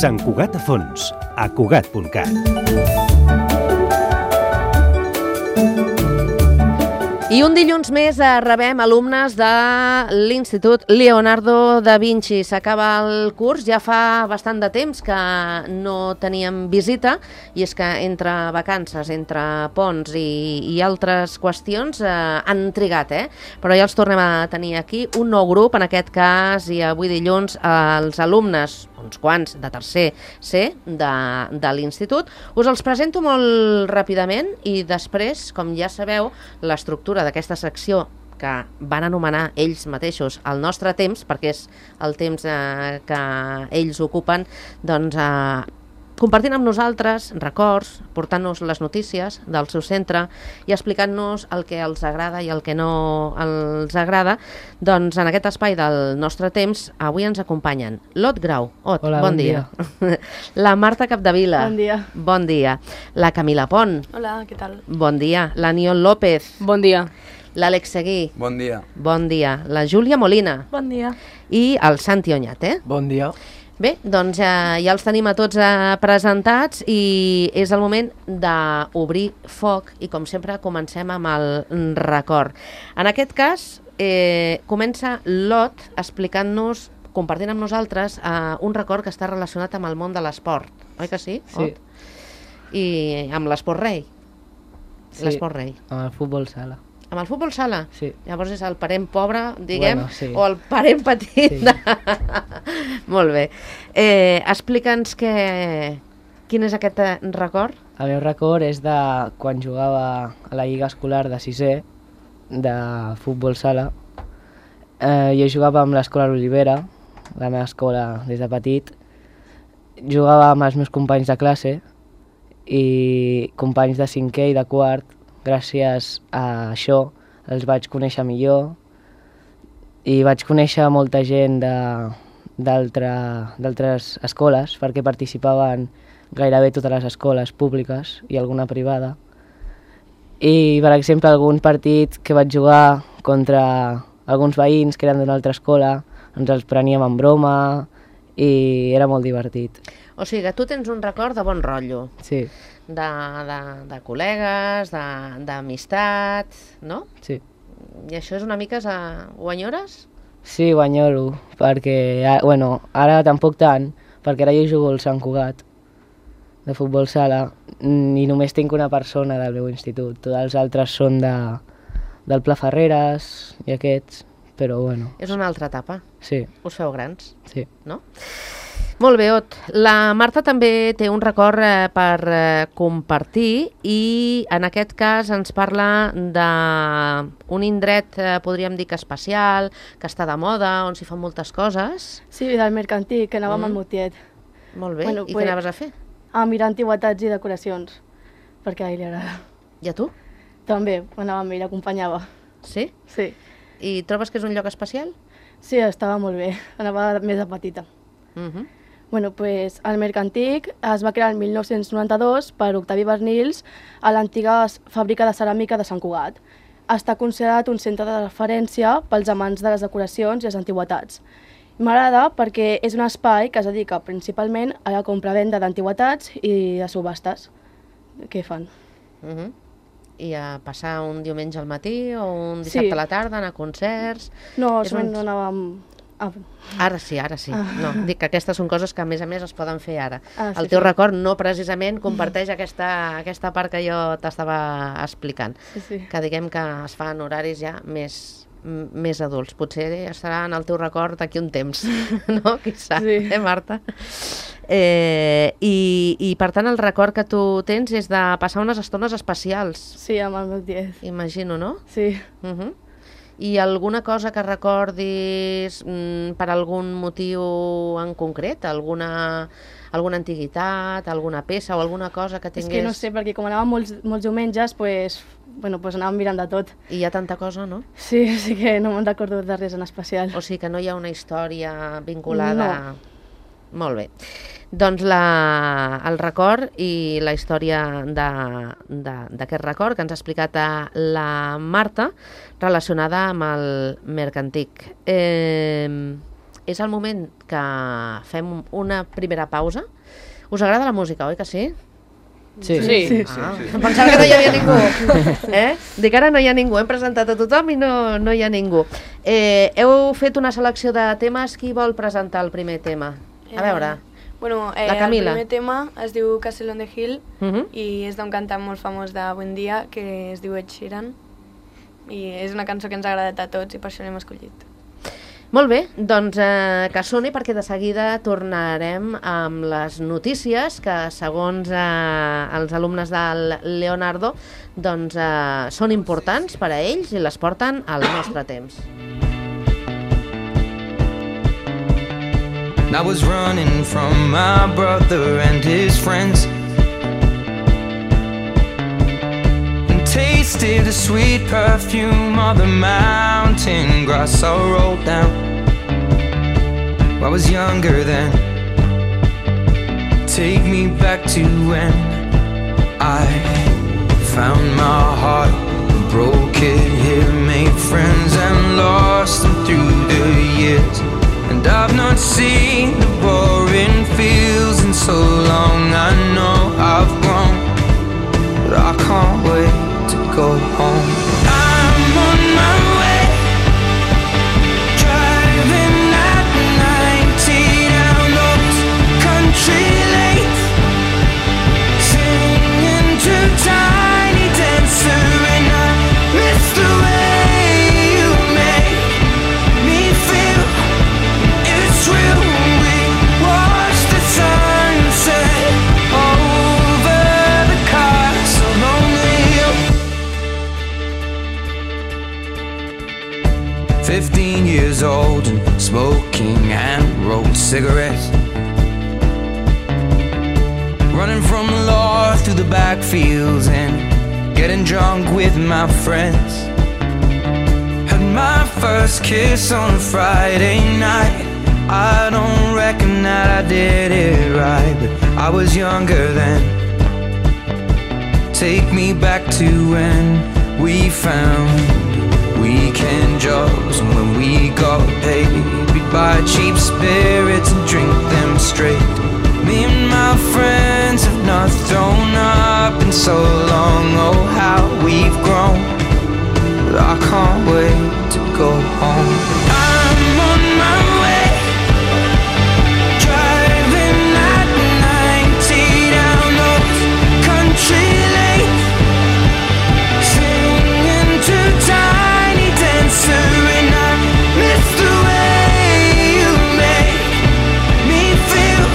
Sant Cugat a Fons, a Cugat.cat. I un dilluns més rebem alumnes de l'Institut Leonardo da Vinci. S'acaba el curs, ja fa bastant de temps que no teníem visita, i és que entre vacances, entre ponts i altres qüestions han trigat, però ja els tornem a tenir aquí, un nou grup, en aquest cas, i avui dilluns, els alumnes, uns quants, de tercer C de l'Institut. Us els presento molt ràpidament i després, com ja sabeu, l'estructura d'aquesta secció que van anomenar ells mateixos el nostre temps, perquè és el temps que ells ocupen, doncs compartint amb nosaltres records, portant-nos les notícies del seu centre i explicant-nos el que els agrada i el que no els agrada. Doncs en aquest espai del nostre temps avui ens acompanyen l'Ot Grau. Ot, hola, bon dia. La Marta Capdevila. Bon dia. Bon dia. La Camila Pont. Hola, què tal? Bon dia. L'Aniol López. Bon dia. L'Àlex Seguí. Bon dia. Bon dia. La Júlia Molina. Bon dia. I el Santi Oñate. Bon dia. Bé, doncs ja els tenim a tots presentats i és el moment d'obrir foc i, com sempre, comencem amb el record. En aquest cas, comença l'Ot explicant-nos, compartint amb nosaltres, un record que està relacionat amb el món de l'esport. Oi que sí, Sí. Ot? I amb l'esport rei. Sí. L'esport rei. Amb el futbol sala. Amb el futbol sala? Sí. Llavors és el parent pobre, diguem, Bueno, sí. o el parent petit? Sí. Molt bé. Explica'ns quin és aquest record. El meu record és de quan jugava a la lliga escolar de 6è de futbol sala. Jo jugava amb l'escola L'Olivera, la meva escola des de petit. Jugava amb els meus companys de classe i companys de 5è i de 4º. Gràcies a això els vaig conèixer millor i vaig conèixer molta gent d'altres escoles, perquè participaven gairebé totes les escoles públiques i alguna privada. I, per exemple, algun partit que vaig jugar contra alguns veïns que eren d'una altra escola, ens els preníem en broma i era molt divertit. O sigui que tu tens un record de bon rotllo, Sí, de col·legues, d'amistat, no? sí. I això és una mica... Ho enyores? Sí, ho enyoro, perquè, ara tampoc tant, perquè ara jo jugo al Sant Cugat, de futbol sala, i només tinc una persona del meu institut. Tots els altres són del Pla Ferreres i aquests, però bueno. És una altra etapa. Sí, Us feu grans, sí. no? Molt bé, Ot. La Marta també té un record per compartir i en aquest cas ens parla d'un indret, podríem dir que especial, que està de moda, on s'hi fan moltes coses. Sí, del mercantil, que anàvem al Motiet. Molt bé. Bueno, I pues- què anaves a fer? A mirar antiguitats i decoracions, perquè a ell li agrada. I a tu? També, anava amb ell, l'acompanyava. Sí? Sí. I trobes que és un lloc especial? Sí, estava molt bé. Anava més de petita. Bueno, pues el Mercantic es va crear el 1992 per Octavi Bernils a l'antiga fàbrica de ceràmica de Sant Cugat. Està considerat un centre de referència pels amants de les decoracions i les antigüetats. M'agrada perquè és un espai que es dedica principalment a la compra-venda d'antigüetats i de subhastes. Què fan? I a passar un diumenge al matí o un Sí. dissabte a la tarda, anar a concerts... No, És sovint un- no anàvem... Ara sí, ara sí. No, dic que aquestes són coses que a més es poden fer ara. Ah, sí, El teu sí. record no precisament comparteix aquesta part que jo t'estava explicant. Sí. Que diguem que es fan horaris ja més adults. Potser estarà en el teu record d'aquí un temps, no? Qui sap, Sí. Marta? I per tant el record que tu tens és de passar unes estones especials, Sí, amb el meu 10. imagino, no? Sí. I alguna cosa que recordis per algun motiu en concret? Alguna antiguitat, alguna peça o alguna cosa que És tingués... que no sé, perquè com anàvem molts diumenges, pues anàvem mirant de tot. I hi ha tanta cosa, no? Sí, sí que no me'n recordo de res en especial. O sigui que no hi ha una història vinculada... No. Molt bé. Doncs el record i la història d'aquest record que ens ha explicat la Marta relacionada amb el Mercantic. és el moment que fem una primera pausa. Us agrada la música, oi que sí? Sí. Em pensava que no hi havia ningú. Dic, ara no hi ha ningú, hem presentat a tothom i no hi ha ningú. Heu fet una selecció de temes, qui vol presentar el primer tema? A veure, Bueno, la Camila. El primer tema es diu Castle on the Hill Mhm. i és d'un cantant molt famós d'avui en dia que es diu Ed Sheeran i és una cançó que ens ha agradat a tots i per això l'hem escollit. Molt bé, doncs que soni perquè de seguida tornarem amb les notícies que segons els alumnes del Leonardo doncs, són importants per a ells i les porten al nostre temps. I was running from my brother and his friends and tasted the sweet perfume of the mountain grass I rolled down. I was younger then. Take me back to when I found my heart, broke it here, made friends and lost them through the years. And I've not seen the boring fields in so long. I know I've grown, but I can't wait to go home. I'm on my way, driving at 90 down those country lanes, singing to Tiny Dancer, and I miss the way you make me feel. It's real. We watch the sunset over the castle on the hill. 15 years old and smoking hand-rolled cigarettes, running from the law through the backfields and getting drunk with my friends. Had my first kiss on a Friday night. I don't reckon that I did it right, but I was younger then. Take me back to when we found weekend jobs, and when we got paid, we'd buy cheap spirits and drink them straight. Me and my friends have not thrown up in so long. Oh, how we've grown, but I can't wait to go home. I'm on my way, driving at 90 down those country lanes, singing to Tiny Dancer, and I miss the way you make me feel.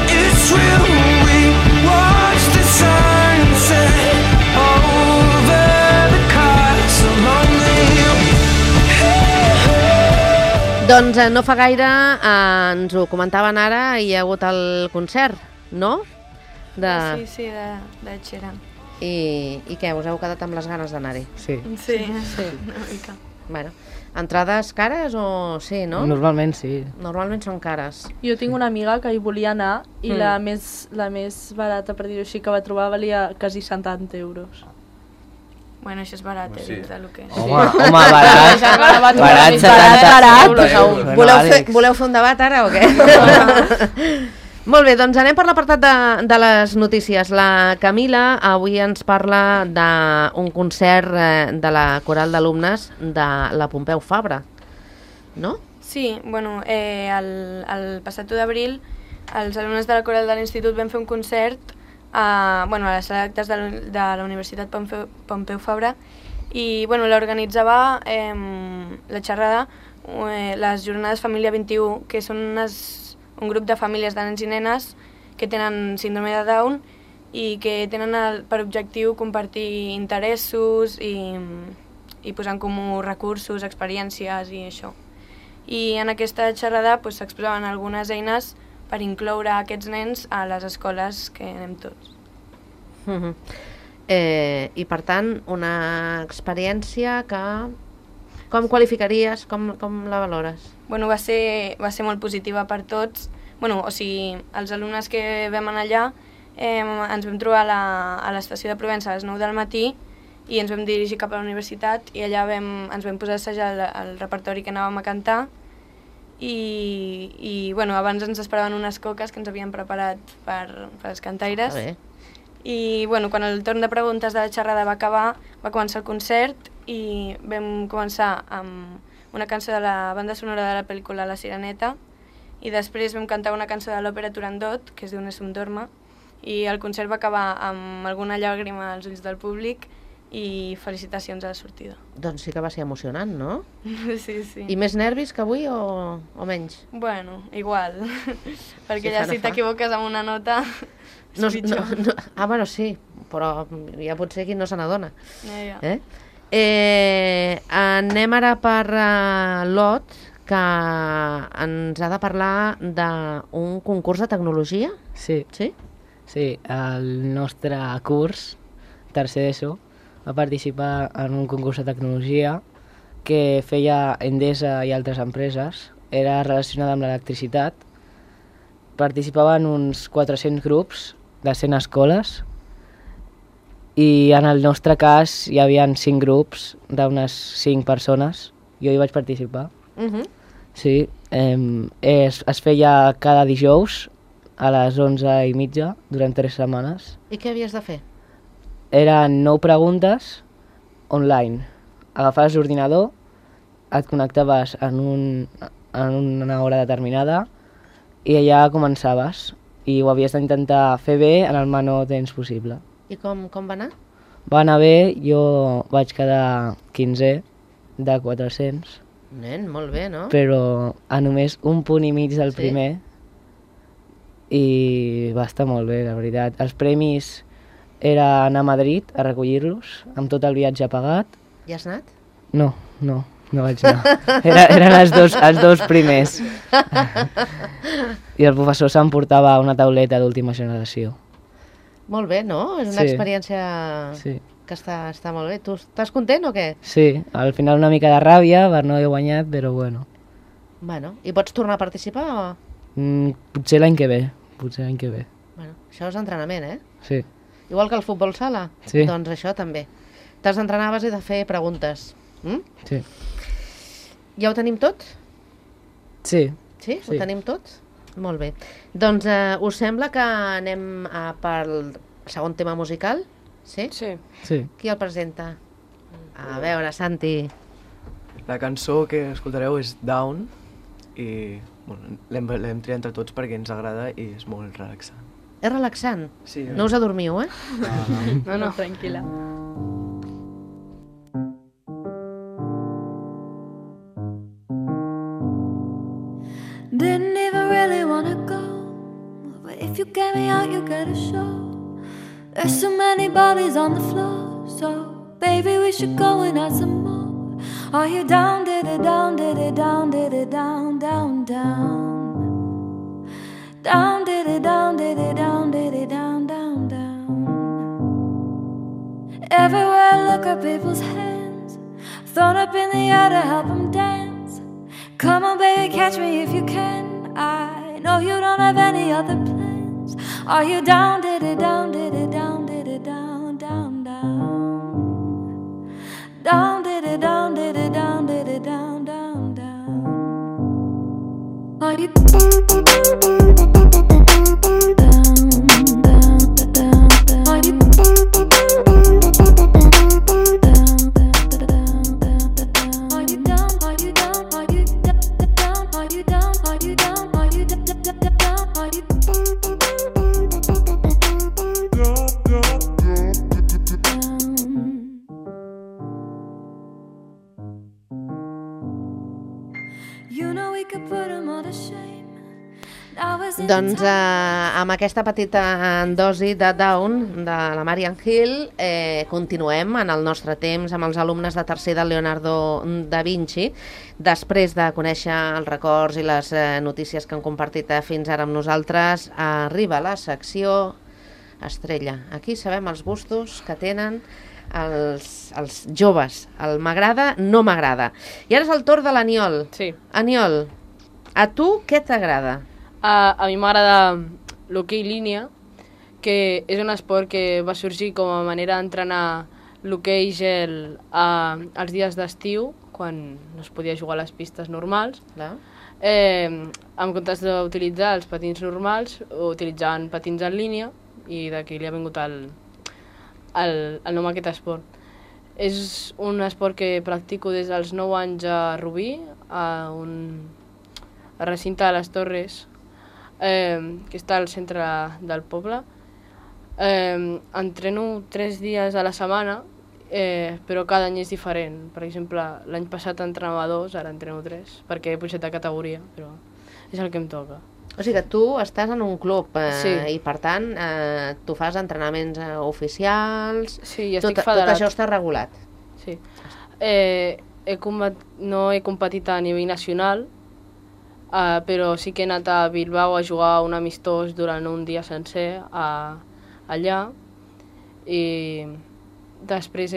It's real. We watch the sunset over the castle on the hill. Doncs no fa gaire ens ho comentaven ara, hi ha hagut el concert, no? Sí, de Sheeran. I què, us heu quedat amb les ganes d'anar-hi? Sí. Sí, una mica. Bueno, entrades cares o sí, no? Normalment sí. Normalment són cares. Jo tinc una amiga que hi volia anar i la més barata, per dir-ho així, que va trobar valia quasi 70 euros. Bueno, això és barat, dins del que és. Home, barat. Barat, 70 euros. Voleu fer un debat ara o què? Molt bé, doncs anem per l'apartat de les notícies. La Camila avui ens parla d'un concert de la coral d'alumnes de la Pompeu Fabra, no? Sí, bueno, el passat 1 d'abril els alumnes de la coral de l'institut vam fer un concert a la sala d'actes de la Universitat Pompeu Fabra i l'organitzava la xerrada les jornades Família 21, que són un grup de famílies de nens i nenes que tenen síndrome de Down i que tenen per objectiu compartir interessos i posar en comú recursos, experiències i això. I en aquesta xerrada s'exposaven algunes eines per incloure aquests nens a les escoles que anem tots. I per tant, una experiència que... Com qualificaries? Com la valores? Bueno, va ser molt positiva per tots. Els alumnes que vam anar allà ens vam trobar a l'estació de Provença a les 9 del matí i ens vam dirigir cap a la universitat i allà ens vam posar a assajar el repertori que anàvem a cantar i bueno, abans ens esperaven unes coques que ens havien preparat per els cantaires. I bueno, quan el torn de preguntes de la xerrada va acabar, va començar el concert i vam començar amb una cançó de la banda sonora de la pel·lícula La Sireneta i després vam cantar una cançó de l'òpera Turandot, que es diu Nessun Dorma, i el concert va acabar amb alguna llàgrima als ulls del públic i felicitacions a la sortida. Doncs sí que va ser emocionant, no? Sí, sí. I més nervis que avui o menys? Bueno, igual, perquè Sí, ja fa, no si fa. t'equivoques amb una nota és pitjor. Bueno, sí, però ja pot ser qui no se n'adona. Ja. Anem ara per l'Ot, que ens ha de parlar d'un concurs de tecnologia. Sí, Sí? sí, el nostre curs, tercer d'ESO, va participar en un concurs de tecnologia que feia Endesa i altres empreses. Era relacionada amb l'electricitat. Participaven uns 400 grups de 100 escoles i en el nostre cas hi havia 5 grups d'unes 5 persones. Jo hi vaig participar. Sí, es feia cada dijous a les 11:30 durant 3 setmanes. I què havies de fer? Eren 9 preguntes online. Agafaves l'ordinador, et connectaves en una hora determinada i allà començaves. I ho havies d'intentar fer bé en el menor temps possible. I com va anar? Va anar bé, jo vaig quedar 15è de 400, Nen, molt bé, no? però a només 1 punt i mig del Sí? primer i va estar molt bé, la veritat. Els premis era anar a Madrid a recollir-los, amb tot el viatge pagat. Ja has anat? No vaig anar. Eren els dos primers. I el professor s'emportava una tauleta d'última generació. Molt bé, no? És una Sí. experiència Sí. que està molt bé. Tu estàs content o què? Sí, al final una mica de ràbia per no haver guanyat, però bueno. Bueno, i pots tornar a participar o...? Potser l'any que ve, Bueno, això és entrenament, eh? Sí. Igual que el futbol sala? Sí. Doncs això també. T'has d'entrenar a base de fer preguntes. Sí. Ja ho tenim tot? Sí. Sí? Sí. Ho tenim tot? Molt bé. Doncs us sembla que anem pel segon tema musical? Sí? Sí. Sí. Qui el presenta? A veure, Santi. La cançó que escoltareu és Down i bueno, l'hem triat entre tots perquè ens agrada i és molt relaxant. És relaxant? Sí. No us adormiu, eh? No, tranquil·la. Didn't even really wanna go, but if you get me out, you get a show. There's so many bodies on the floor, so baby, we should go and add some more. Are you down, did it down, did it down, did it down, down, down? Down, did it down, did it down, did it down, down, down. Everywhere I look at people's hands, thrown up in the air to help them dance. Come on, baby, catch me if you can. I know you don't have any other plans. Are you down, did it down, did it down, did it down, down, down? Down, did it down, did it down, did it down, down, down? Are you down, down, down, down? Are you Doncs amb aquesta petita dosi de Down de la Marian Hill continuem en el nostre temps amb els alumnes de tercer del Leonardo da Vinci. Després de conèixer els records i les notícies que han compartit fins ara amb nosaltres, arriba la secció estrella. Aquí sabem els gustos que tenen els joves. El m'agrada, no m'agrada. I ara és el torn de l'Aniol. Sí. Aniol, a tu què t'agrada? A mi m'agrada l'hoquei línia, que és un esport que va sorgir com a manera d'entrenar l'hoquei gel als dies d'estiu, quan no es podia jugar a les pistes normals. Clar. En comptes d'utilitzar els patins normals, utilitzant patins en línia, i d'aquí li ha vingut el nom a aquest esport. És un esport que practico des dels 9 anys a Rubí, a un recinte de les Torres, que està al centre del poble. Entreno 3 dies a la setmana, però cada any és diferent. Per exemple, l'any passat entrenava 2, ara entreno 3, perquè he pujat de categoria, però és el que em toca. O sigui que tu estàs en un club Sí. i per tant tu fas entrenaments oficials, Sí, i estic federat. tot això està regulat. Sí. No he competit a nivell nacional, però sí que he anat a Bilbao a jugar un amistós durant un dia sencer allà, i després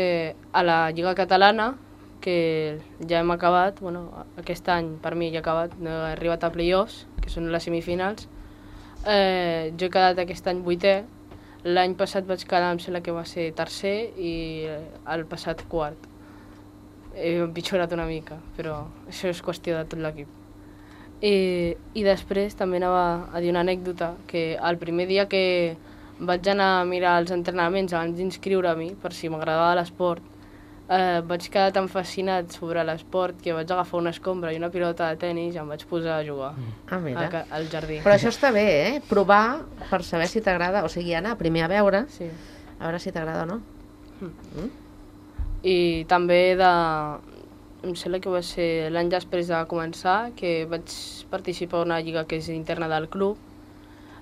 a la Lliga Catalana, que ja hem acabat, aquest any per mi ja he acabat, no he arribat a play-offs, que són les semifinals. Jo he quedat aquest any 8è, l'any passat vaig quedar, em sembla que va ser tercer, i el passat quart. He empitjorat una mica, però això és qüestió de tot l'equip. I després també anava a dir una anècdota, que el primer dia que vaig anar a mirar els entrenaments abans d'inscriure-m'hi, per si m'agradava l'esport, vaig quedar tan fascinat sobre l'esport que vaig agafar una escombra i una pilota de tennis i em vaig posar a jugar al jardí. Però això està bé, provar per saber si t'agrada, o sigui, anar primer a veure, a veure si t'agrada o no. I també em sembla que va ser l'any després de començar, que vaig participar en una lliga que és interna del club,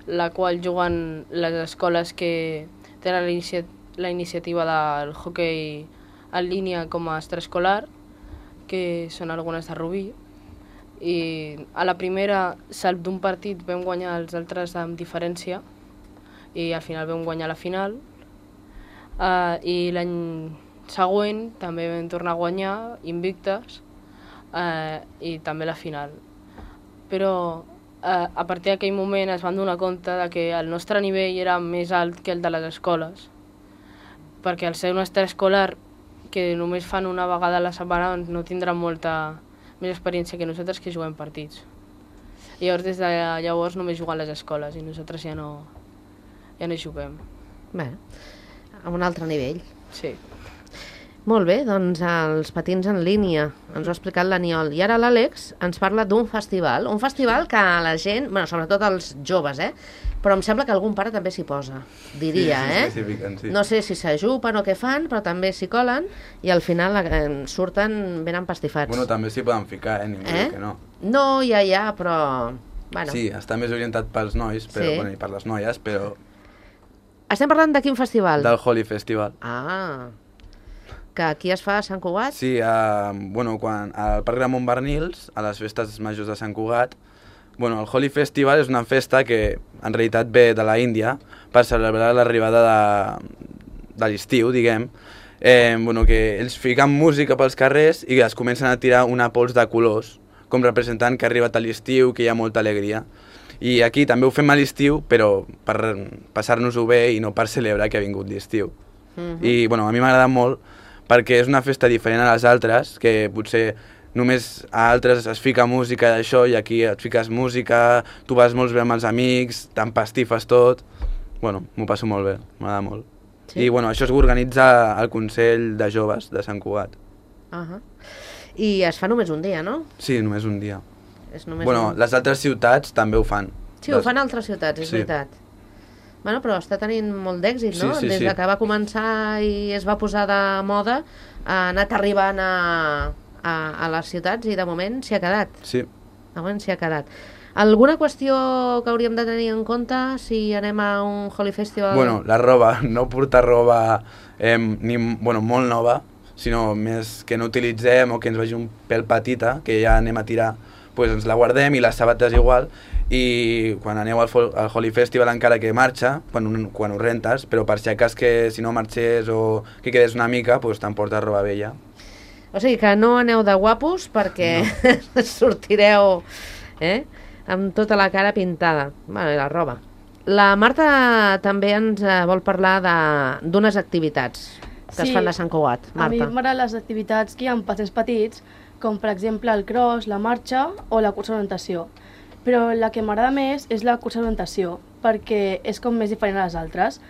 la qual juguen les escoles que tenen la iniciativa del hoquei en línia com a extraescolar, que són algunes de Rubí, i a la primera salp d'un partit vam guanyar els altres amb diferència i al final vam guanyar la final, i l'any següent també vam tornar a guanyar invictes i també la final. Però a partir d'aquell moment es van donar compte de que el nostre nivell era més alt que el de les escoles, perquè al ser un extraescolar que només fan una vegada a la setmana no tindran molta més experiència que nosaltres, que juguem partits. I llavors des de llavors només juguen les escoles i nosaltres ja no hi juguem. Bé, a un altre nivell. Sí. Molt bé, doncs els patins en línia, ens ho ha explicat l'Aniol. I ara l'Àlex ens parla d'un festival que la gent, sobretot els joves, però em sembla que algun pare també s'hi posa, diria, sí. No sé si s'ajupen o què fan, però també s'hi colen i al final surten ben empastifats. Bueno, també s'hi poden ficar, ningú diu que no. No, ja, però... Bueno. Sí, està més orientat pels nois, i per les noies, però... Estem parlant de quin festival? Del Holy Festival. Que aquí es fa a Sant Cugat? Sí, quan al Parc de Montbernils, a les festes majors de Sant Cugat, el Holy Festival és una festa que en realitat ve de la Índia per celebrar l'arribada de l'estiu, diguem, que ells fiquen música pels carrers i es comencen a tirar una pols de colors, com representant que ha arribat a l'estiu, que hi ha molta alegria. I aquí també ho fem a l'estiu, però per passar-nos-ho bé i no per celebrar que ha vingut l'estiu. I a mi m'agrada molt, perquè és una festa diferent a les altres, que potser només a altres es fica música d'això i aquí et fiques música, tu vas molt bé amb els amics, t'empastifes tot. M'ho passo molt bé, m'agrada molt. Sí. I això es organitza al Consell de Joves de Sant Cugat. I es fa només un dia, no? Sí, només un dia. Les les altres ciutats també ho fan. Sí, ho fan altres ciutats, és veritat. Però està tenint molt d'èxit, no? Sí. Des que va començar i es va posar de moda, ha anat arribant a les ciutats i de moment s'hi ha quedat. Sí. De moment s'hi ha quedat. Alguna qüestió que hauríem de tenir en compte si anem a un Holy Festival? La roba, no portar roba molt nova, sinó més que no utilitzem o que ens vagi un pèl petita, que ja anem a tirar, doncs ens la guardem, i les sabates igual, i quan aneu al Holy Festival encara que marxa, quan ho rentes, però per si acas que si no marxés o que quedés una mica, doncs t'emportes roba vella. O sigui que no aneu de guapos perquè sortireu amb tota la cara pintada, i la roba. La Marta també ens vol parlar d'unes activitats que es fan a Sant Cugat. Marta. A mi m'agraden les activitats que hi ha amb patins petits, com per exemple el cross, la marxa o la cursa d'orientació. Però la que m'agrada més és la cursa d'orientació, perquè és com més diferent a les altres.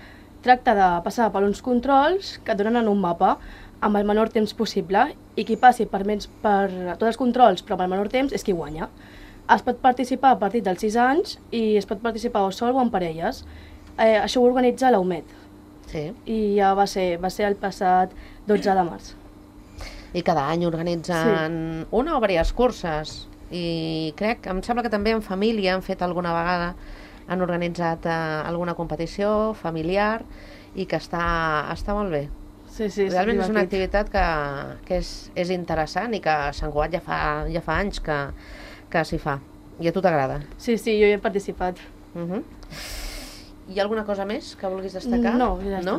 Tracta de passar per uns controls que et donen un mapa amb el menor temps possible i qui passi per tots els controls però amb el menor temps és qui guanya. Es pot participar a partir dels 6 anys i es pot participar o sol o en parelles. Això ho organitza la UMED. Sí. I ja va ser el passat 12 de març. I cada any organitzen una o diverses curses. I em sembla que també en família han fet alguna vegada, han organitzat alguna competició familiar i que està molt bé. Sí, realment és una activitat que és interessant i que a Sant Cugat ja fa anys que s'hi fa. I a tu t'agrada? Sí, jo hi he participat. Hi ha alguna cosa més que vulguis destacar? No, ja està.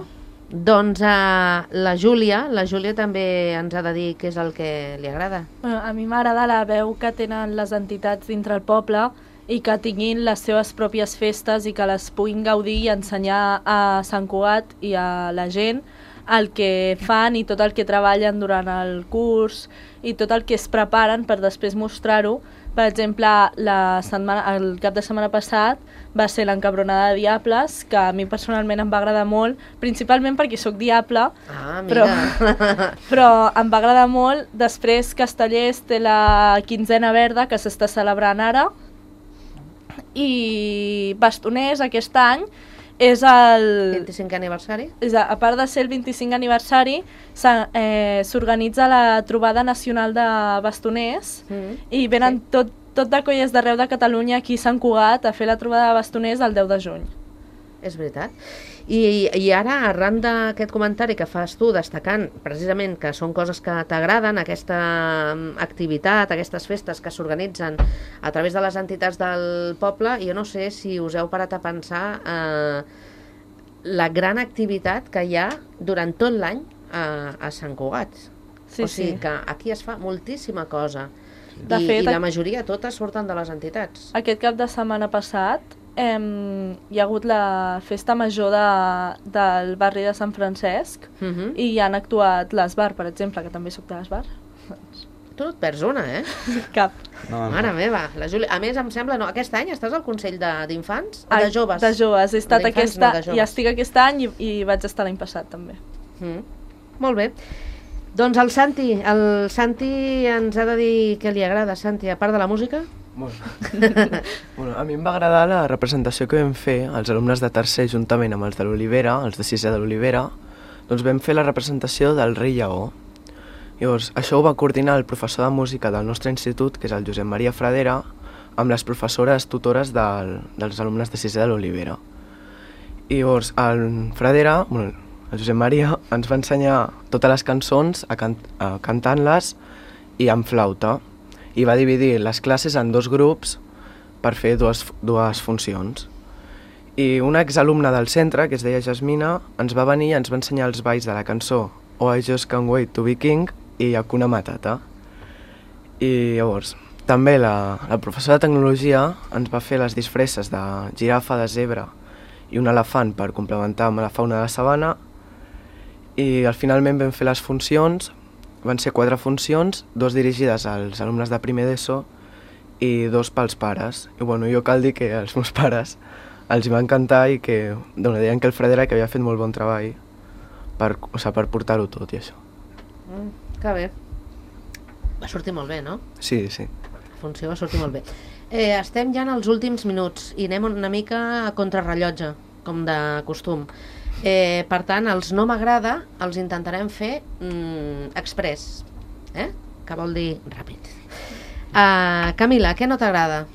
Doncs la Júlia també ens ha de dir què és el que li agrada. A mi m'agrada la veu que tenen les entitats dintre el poble i que tinguin les seves pròpies festes i que les puguin gaudir i ensenyar a Sant Cugat i a la gent el que fan i tot el que treballen durant el curs i tot el que es preparen per després mostrar-ho. Per exemple, el cap de setmana passat va ser l'encabronada de Diables, que a mi personalment em va agradar molt, principalment perquè sóc diable, però em va agradar molt. Després Castellers té la quinzena verda, que s'està celebrant ara, i Bastoners aquest any és el 25è aniversari. A part de ser el 25è aniversari, s'organitza la trobada nacional de bastoners i venen tot de colles d'arreu de Catalunya aquí a Sant Cugat a fer la trobada de bastoners el 10 de juny. És veritat. I ara, arran d'aquest comentari que fas tu, destacant precisament que són coses que t'agraden, aquesta activitat, aquestes festes que s'organitzen a través de les entitats del poble, jo no sé si us heu parat a pensar la gran activitat que hi ha durant tot l'any a Sant Cugat. O sigui que aquí es fa moltíssima cosa. I la majoria, totes, surten de les entitats. Aquest cap de setmana passat hi ha hagut la festa major del barri de Sant Francesc i hi han actuat l'Esbar, per exemple, que també soc de l'Esbar. Tu no et perds una, Cap. Mare meva. A més, em sembla, aquest any estàs al Consell d'infants o de joves? De joves. He estat i estic aquest any i vaig estar l'any passat, també. Molt bé. Doncs el Santi ens ha de dir què li agrada. Santi, a part de la música? A mi em va agradar la representació que vam fer els alumnes de tercer juntament amb els de l'Olivera, els de sisè de l'Olivera, doncs vam fer la representació del Rei Lleó. Llavors, això ho va coordinar el professor de música del nostre institut, que és el Josep Maria Fradera, amb les professores tutores dels alumnes de sisè de l'Olivera. I llavors, el Fradera, el Josep Maria, ens va ensenyar totes les cançons cantant-les i amb flauta. I va dividir les classes en 2 grups per fer dues funcions. I una exalumna del centre, que es deia Jasmina, ens va venir i ens va ensenyar els balls de la cançó Oh, I Just Can't Wait to Be King i Hakuna Matata. I llavors, també la professora de tecnologia ens va fer les disfresses de girafa, de zebra i un elefant per complementar amb la fauna de la sabana. I finalment vam fer les funcions, van ser 4 funcions, 2 dirigides als alumnes de primer d'ESO i 2 pels pares. I jo cal dir que als meus pares els hi va encantar i que deien que el Fradera que havia fet molt bon treball per portar-ho tot i això. Que bé. Va sortir molt bé, no? Sí. La funció va sortir molt bé. Estem ja en els últims minuts i anem una mica a contrarrellotge, com de costum. Per tant, els no m'agrada els intentarem fer express, que vol dir ràpid. Camila, què no t'agrada?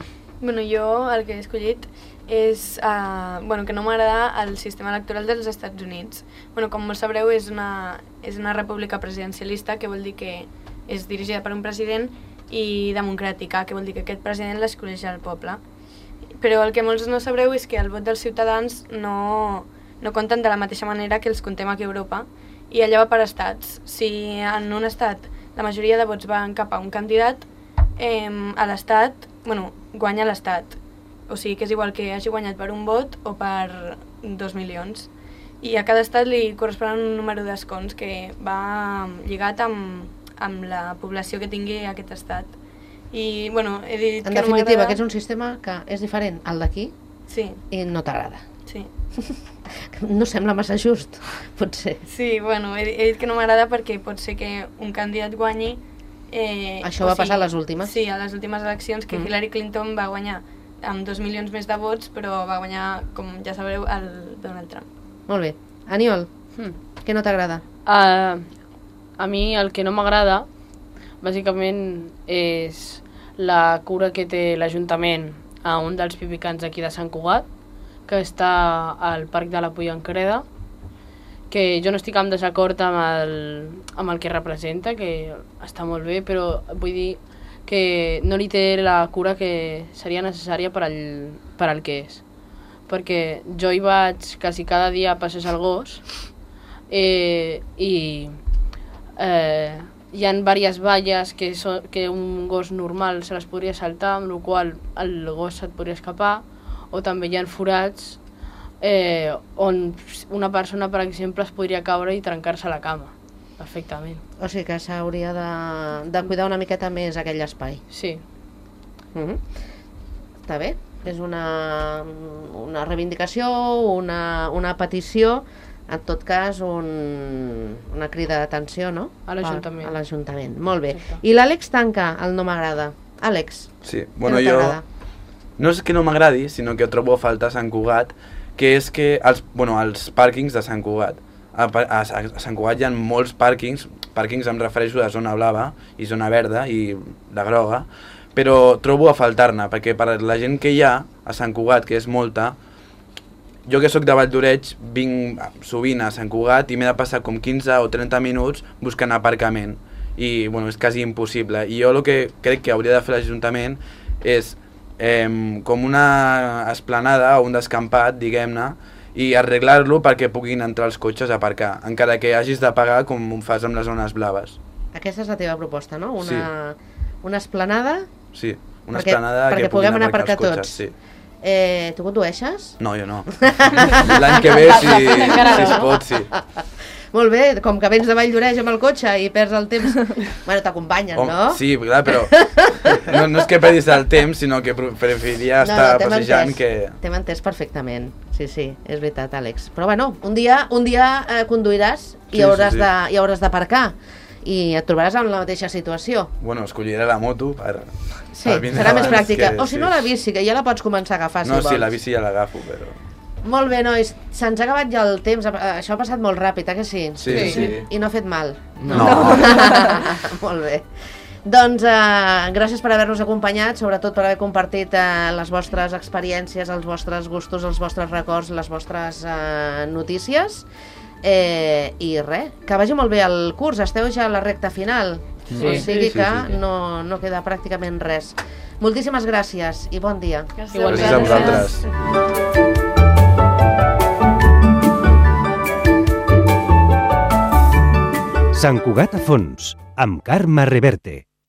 Jo el que he escollit és que no m'agrada el sistema electoral dels Estats Units. Com molt sabreu, és una república presidencialista, que vol dir que és dirigida per un president, i democràtica, que vol dir que aquest president l'escolleix el poble. Però el que molts no sabreu és que el vot dels ciutadans no compten de la mateixa manera que els contem aquí a Europa, i allà va per estats. Si en un estat la majoria de vots van cap a un candidat, a l'estat, guanya l'estat. O sigui que és igual que hagi guanyat per un vot o per 2 milions. I a cada estat li correspon un número d'escons que va lligat amb amb la població que tingui aquest estat. I, bueno, he dit en definitiva, que és un sistema que és diferent al d'aquí i no t'agrada. Sí. No sembla massa just, potser. Sí, bueno, he dit que no m'agrada perquè pot ser que un candidat guanyi... Això va passar a les últimes? Sí, a les últimes eleccions, que Hillary Clinton va guanyar amb 2 milions més de vots, però va guanyar, com ja sabreu, el Donald Trump. Molt bé. Aniol, què no t'agrada? A mi el que no m'agrada, bàsicament, és la cura que té l'Ajuntament a un dels pipicans aquí de Sant Cugat, que està al Parc de la Pollancreda, que jo no estic en desacord amb el que representa, que està molt bé, però vull dir que no li té la cura que seria necessària per al que és. Perquè jo hi vaig quasi cada dia a passejar el gos i hi ha diverses valles que un gos normal se les podria saltar, amb la qual el gos se't podria escapar, o també hi ha forats on una persona, per exemple, es podria caure i trencar-se la cama, perfectament. O sigui que s'hauria de cuidar una miqueta més aquell espai. Sí. Està bé, és una reivindicació, una petició, en tot cas una crida d'atenció, no? A l'Ajuntament. A l'Ajuntament, molt bé. I l'Àlex tanca el no m'agrada. Àlex, sí, bueno, jo no és que no m'agradi, sinó que trobo a faltar a Sant Cugat, que és que els pàrquings de Sant Cugat. A Sant Cugat hi ha molts pàrquings em refereixo a zona blava i zona verda i la groga, però trobo a faltar-ne, perquè per la gent que hi ha a Sant Cugat, que és molta, jo que sóc de Valldoreix vinc sovint a Sant Cugat i m'he de passar com 15 o 30 minuts buscant aparcament i bueno, és quasi impossible. I jo el que crec que hauria de fer l'Ajuntament és com una esplanada o un descampat, diguem-ne, i arreglar-lo perquè puguin entrar els cotxes a aparcar, encara que hagis de pagar com ho fas amb les zones blaves. Aquesta és la teva proposta, no? Una esplanada? Sí, una esplanada que puguin aparcar els cotxes. Sí. Tu condueixes? No, jo no. L'any que ve, si es pot, sí. Molt bé, com que vens de Valldoreix amb el cotxe i perds el temps... Bueno, t'acompanyen, no? Sí, clar, però no és que perdis el temps, sinó que preferiria estar passejant que... T'hem entès perfectament, sí, és veritat, Àlex. Però bueno, un dia conduiràs i hauràs d'aparcar i et trobaràs en la mateixa situació. Bueno, escolliré la moto per... Sí, serà més pràctica. O si no, la bici, que ja la pots començar a agafar, si vols. No, sí, la bici ja l'agafo, però... Molt bé, nois, se'ns ha acabat ja el temps, això ha passat molt ràpid, que sí? Sí. I no ha fet mal? No. Molt bé. Doncs gràcies per haver-nos acompanyat, sobretot per haver compartit les vostres experiències, els vostres gustos, els vostres records, les vostres notícies. I res, que vagi molt bé el curs, esteu ja a la recta final, o sigui que no queda pràcticament res. Moltíssimes gràcies i bon dia. Gràcies a vosaltres. Sant Cugat a fons, amb Carme Reverte.